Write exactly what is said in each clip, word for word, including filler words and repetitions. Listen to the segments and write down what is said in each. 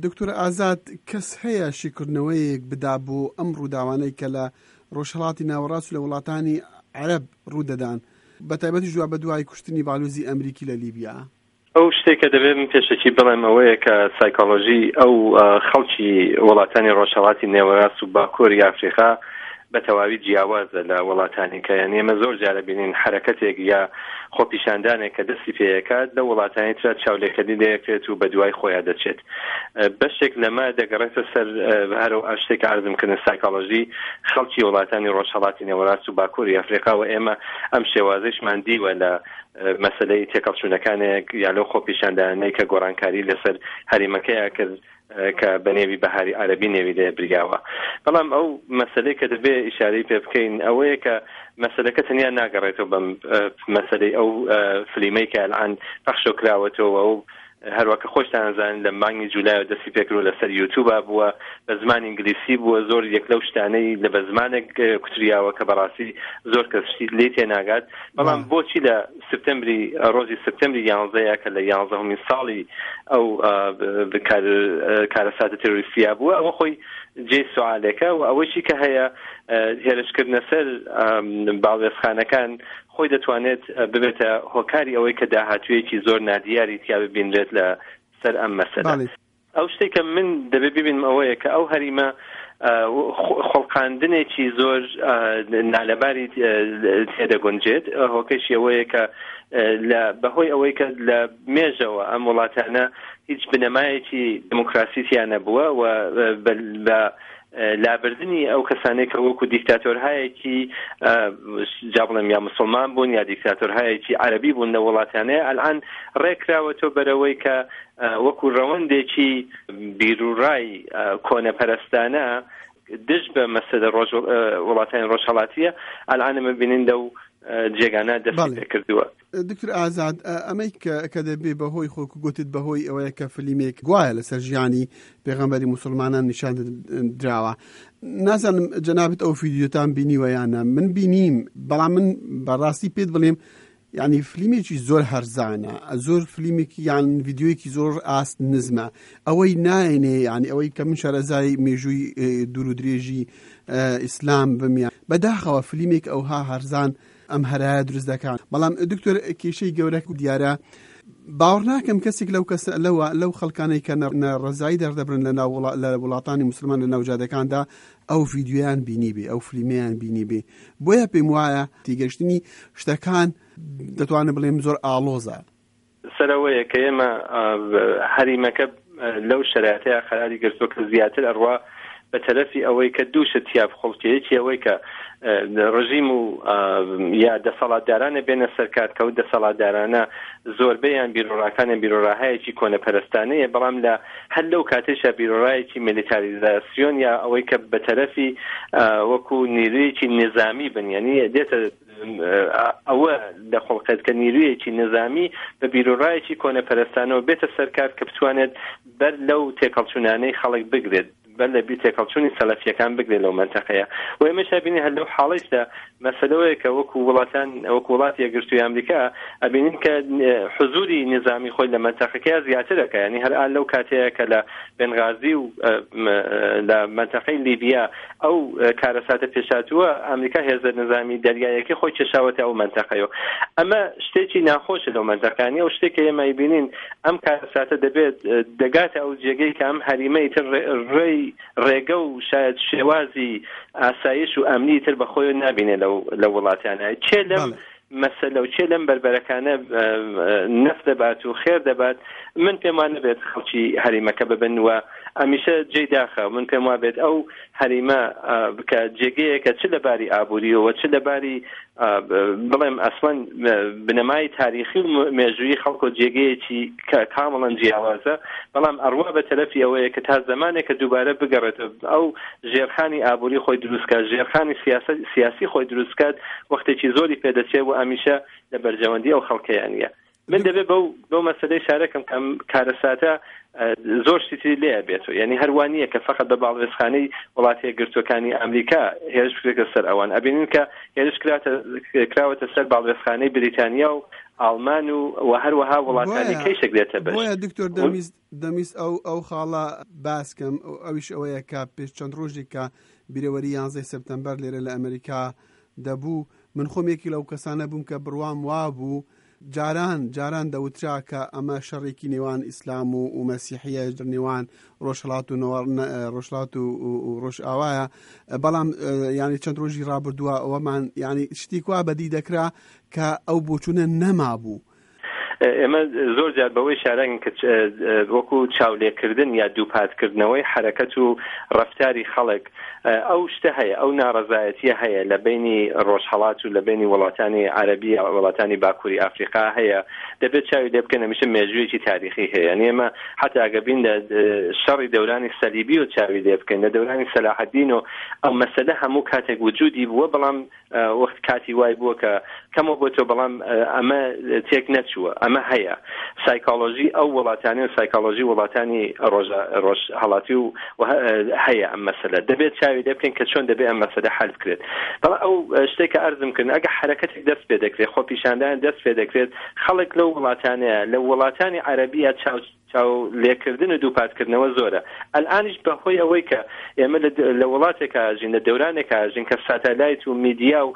دکتۆر ئازاد، کەس هەیە شیکردنەوەیەک بدا بۆ ئەم ڕووداوانەی کە لە ڕۆژهەڵاتی ناوەڕاست و لە وڵاتانی عەرەب ڕوودەدان، بە تایبەتی جواب بە دوای کوشتنی باڵیۆزی ئەمریکی لە لیبیا؟ ئەو شتێک کە دەبێت من پێشەکی بڵێم ئەوەیە کە سایکۆلۆژی ئەو خەڵکی وڵاتانی ڕۆژهەڵاتی نێوەڕاست و باکووری ئەفریقا بە تەواوی جیاوازە لە وڵاتانی کە، یعنی ئێمە زۆر جارە بینین حرەکەتێک یا خۆپیشاندانێک کە دەستی پێیەکات لە وڵاتانی ترا چاولێکردنی لێکرێت و بە دوای خۆیان دەچێت. بەشێک لەمە دەگەڕێتە سەر هەرو شتێک عەرزم کردن سایکۆلۆژی خەڵکی وڵاتانی ڕۆژهەڵاتی نێوەڕاست و باکووری ئەفریقا و ئێمە ئەم شێوازەشمان دیوە لە مەسلەی تێکەڵچوونەکانێک یا لەو خۆپیشاندانەی کە گۆڕانکاری لەسەر هەرێمەکەیە کرد کە بە نێوی بەهاری عەرەبی نێوی لێ بریاوە. بەڵام ئەو مەسلەی کە دەبێ ئیشارەی پێ بکەین ئەوەیە کە مەسلەکە تەنیا ناگەڕێتەوە بەم مەسلەی ئەو فلیمەی کە الان پەخشۆ کراوەتەوە و هەروەکە خۆشتان زانن لە مانگی جولایەوە دەستی پێکردووە لەسەر یوتیوبا بووە، بە زمانی ئینگلیسی بووە، زۆر یەک لەو شتانەی لە بە زمانێک کوتریاوە کە بەڕاستی زۆر کەس شتی لێ تێناگات. بەڵام بۆچی لە سپتەمبری ڕۆژی سپتەمبری یانزەیە کە لە یانزەهەمین ساڵی ئەو کارەساتە تێرۆریستیا بووە، ئەوە خۆی جێی سوالێکە. و ئەوەیشی کە هەیە هێرشکردنە سەر باڵوێزخانەکان خۆی دەتوانێت ببێتە هۆکاری ئەوەی کە داهاتوویەکی زۆر نادیاری تیا ببینرێت لە سەر ئەم مەسەلە. ئەو شتێک کە من دەبێت ببینم ئەوەیە کە ئەو هەریمە خۆڵقاندنێکی زۆر نالەباری تێدەگونجێت. هۆکەشی ئەوەیە کە بەهۆی ئەوەی کە لە مێژەوە ئەم وڵاتانە هیچ بنەمایەکی دموکراسی تیا نەبووە و بە لابردنی ئەو کەسانێک کە وەکو دیکتاتۆرهایەکی جا بڵێم یا مسلمان بوون یا دیکتاتۆرهایەکی عەرەبی بوون لە وڵاتانەیە، ئەلان ڕێکراوەتەوە بەرەوەی کە وەکو ڕەوەندێکی بیرورای کۆنەپەرستانە دژ بە مەسەلە وڵاتانی ڕۆژهەڵاتیە ئەلان ئەمە بینین لەو جێگانە دەستی پێکردووە. دکتۆر ئازاد، ئەمەی کە دەبێ بەهۆی خۆ گوتت بەهۆی ئەوەیە کە فلیمێک گوایە لەسەر ژیانی پێغەمبەری موسڵمانان نیشان دراوە، نازانم جەنابت ئەو فیدیۆتان بینیوە یان نا؟ من بینیم، بەڵام من بەڕاستی پێت بڵێم یعنی فلیمێکی زۆر هەرزانە، زۆر فلیمێکی یان ڤیدیۆیەکی زۆر ئاست نزمە. ئەوەی نایەنێ، یعنی ئەوەی کە من شارەزای مێژووی دوور و درێژی ئیسلام بم، بەداخەوە فلیمێک ئەوها هەرزان ئەم هەرایە دروست دەکات. بەڵام دکتۆر کێشەی گەورە دیارە، باوەڕ ناکەم کەسێک لەو کەس لەو خەڵکانەی کە ناڕەزایی دەردەبرن لە وڵاتانی مسلمان لە ناوجادەکاندا ئەو ڤیدیۆیان بینی بێ، ئەو فلیمیان بینی بێ. بۆیە پێم وایە تێگەشتنی شتەکان دەتوانم بڵێم زۆر ئاڵۆزە. سەرەوەیە کە ئێمە هەریمەکە لەو شەرایەتەیە قەراری گرتووە کە زیاتر ئەڕوا بە تەرەفی ئەوەی کە دوو شت تیا بخڵکێ، یەکی ئەوەی کە ڕژیم و یا دەسەڵاتدارانە بێنە سەرکار کە ئەو دەسەڵاتدارانە زۆربەیان بیرۆڕاکانیان بیرۆڕاهایەکی کۆنەپەرستانەیە، بەڵام لە هەر لەو کاتێشا بیرۆڕایەکی میلیتاریزاسیۆن یا ئەوەی کە بە تەرەفی وەکو نیرویەکی نظامی بن، یعنی دێتە ئەوە لە خۆڵقێت کە نیرویەکی نظامی بە بیرۆڕایەکی کۆنەپەرستانەوە بێتە سەرکار کە بتوانێت بەر لەو تێکەڵچوونانەی خەڵک بگرێت، بەر لە بیر تێکەڵچوونی سەلەفیەکان بگرێت لەو منتەقەیە. و ئێمەش ئەبینین هەر لەو حاڵیشدا مەسەلەوەیە کە وەکو وڵاتان وەکو وڵاتی یەکگرتووی ئەمریکا ئەبینین کە حزوری نظامی خۆی لە منتەقەکەیا زیاترەکە، یعنی هەر ئال لەو کاتەیە کە لە بنغازی و لە منتەقەی لیبیا ئەو کارەساتە پێشاتووە، ئەمریکا هێزە نظامی دەریایەکەی خۆی کێشاوەتە ئەو منتەقەیەوە. ئەمە شتێکی ناخۆشە لەو منتەقانی. ئەو شتێک کە ئێمە ئەیبینین ئەم کارەساتە دەبێت دەگاتە ئەو جێگەی کە ئەم هەریمەی تر ڕێی ڕێگە و شاید شێوازی ئاسایش و ئەمنی تر بە خۆی نابینێ لەو وڵاتیانە. چێ لەم مەسەلە و چێ لەم بەربەرەکانە نەف دەبات و خێر دەبات، من پێم وان نەبێت خەڵکی هەریمەکە ببن و ئەمیشە جێی داخە. من پێم وا بێت ئەو هەریمە کە جێگەیەکە چ لەباری ئابووریەوە چ لەباری بڵێم ئەسڵەن بنەمای تاریخی و مێژوویی خەڵکۆ جێگەیەکی کە کامڵەن جیاوازە، بەڵام ئەڕوا بە تەرەفی ئەوەیە کە تا زەمانێک کە دووبارە بگەڕێتەوە ئەو ژێرخانی ئابووری خۆی دروستکات، ژێرخانی سیاسی خۆی دروستکات، وەختێکی زۆری پێدەچێت و ئەمیشە لە بەرژەوەندی ئەو خەڵکەیانە. من دەبێ بەو بەو مەسەلەی شارەکەم کە ئەم کارەساتە زۆر شتی تری لێ بێتەوە، یعنی هەروان نییە کە فقط بە باڵوێزخانەی وڵاتە یەکگرتووەکانی ئەمریکا هێرش بکرێتە سەر ئەوان. ئەبینین کە هێرش کراوەتە سەر باڵوێزخانەی بریتانیا و ئاڵمان و و هەروەها وڵاتانی کەیشێک دێتە بەش. بۆیە دکتۆر دەمیست دەمیست ئەو ئەو خاڵە باسکەم، ئەویش ئەوەیە کە پێش چەند ڕۆژێک کە بیرەوەری یانزەی سپتەمبەر لێرە لە ئەمریکا دەبوو، من خۆم یەکی لەو کەسانە بووم کە بڕوام وابوو جاران جاران دەوترا کە ئەمە شەڕێکی نێوان ئیسلام و و مەسیحیە، نێوان ڕۆژهەڵات و ڕۆژهەڵات و ڕۆژئاوایە، بەڵام ینی چەند ڕۆژی ڕابردووە ئەوەمان ینی شتی کوا بەدی دەکرا کە ئەو بۆچوونە نەمابوو. ئێمە زۆر جار بەوەی شارەنگ کە وەکو چاولێکردن یا دووپاتکردنەوەی حرەکەت و ڕەفتاری خەڵک ئەو شتە هەیە، ئەو ناڕەزایەتیە هەیە لە بینی ڕۆژهەڵات و لە بینی وڵاتانی عەرەبی وڵاتانی باکووری ئافریقا هەیە. دەبێت چاوی لێ بکەن، هەمیشە مێژوویەکی تاریخی هەیە. ئێمە حتا ئەگە بین لە شەڕی دەورانی سەلیبی و چاوی لێ بکەین، لە دەورانی سەلاحەدین و ئەو مەسەلە هەموو کاتێک وجودی بووە، بەڵام وەخت کاتی وای بووە کە کەمەوە بۆ تۆ، بەڵام ئەمە تێک نەچووە، ئەمە هەیە. سایکۆلۆژی ئەو وڵاتانی و سایکۆلۆژی وڵاتانی ڕۆژهەڵاتی و هەیە ئەم مەسەلە. دەبێت چاوی لێ بکەین کە چۆن دەبێت ئەم مەسەلە حل بکرێت. بەڵام ئەو شتێک کە ئەرزم کردن، ئەگە حرەکەتێک دەست پێ دەکرێت، خۆپیشاندان دەست پێ دەکرێت، خەڵک لەو وڵاتانەیە، لە وڵاتانی عەرەبیە چاو چاو لێکردن و دووپاتکردنەوە زۆرە. ئەلئانیش بەهۆی ئەوەی کە ئێمە لە وڵاتێکا ژین، لە دەورانێکا ژین کە ساتەلایت و میدیا و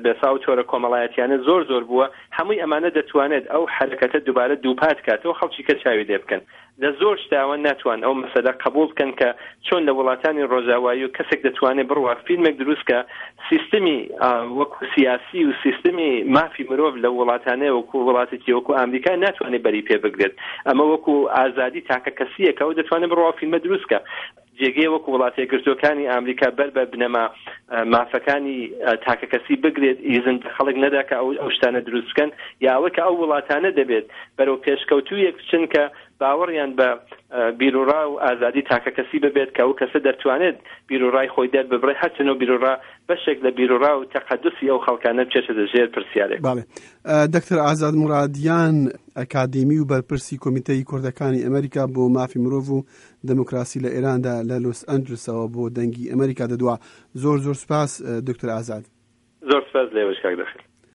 بەسا و تۆرە کۆمەڵایەتیانە زۆر زۆر بووە، هەمووی ئەمانە دەتوانێت ئەو حرەکەتە دووبارە دووپات کاتەوە خەڵکی کە چاوی لێ بکەن. لە زۆر شتاوە ناتوان ئەو مەسەلە قبول بکەن کە چۆن لە وڵاتانی ڕۆژاوایی و کەسێک دەتوانێت بڕوا فیلمێک دروست کە سیستمی وەکو سیاسی و سیستمی مافی مرۆڤ لە وڵاتانەیە وەکو وڵاتێکی وەکو ئەمریکا ناتوانێت بەری پێ بگرێت. ئەمە وەکو ئازادی تاکە کەسیەکە و دەتوانێت بڕوا فیلمە دروست کە جێگەی وەکو وڵاتە یەکگرتووەکانی ئەمریکا بەر بە بنەما مافەکانی تاکەکەسی بگرێت، ئیزن خەڵک نەدا کە ئەو ئەو شتانە دروست بکەن، یا ئەوەی کە ئەو وڵاتانە دەبێت بەرەو پێشکەوتوویەک بچن کە باوەڕیان بە بیرۆڕا و ئازادی تاکەکەسی ببێت، کە ئەو کەسە دەتوانێت بیرۆڕای خۆی دەرببڕێ، هەرچەند ئەو بیرۆڕا بەشێک لە بیرۆڕا و تەقەدوسی ئەو خەڵکانە بچێتە ژێر پرسیارێک. بەڵێ دکتۆر ئازاد مرادیان، ئەکادیمی و بەرپرسی کۆمیتەی کوردەکانی ئەمریکا بۆ مافی مرۆڤ و دموکراسی لە ئێراندا لە لۆس ئەنجلسەوە بۆ دەنگی ئەمریکا دەدوا. زۆر زۆر سپاس دکتۆر ئازاد. زۆر سپاس لێوەش کاک دەخیل.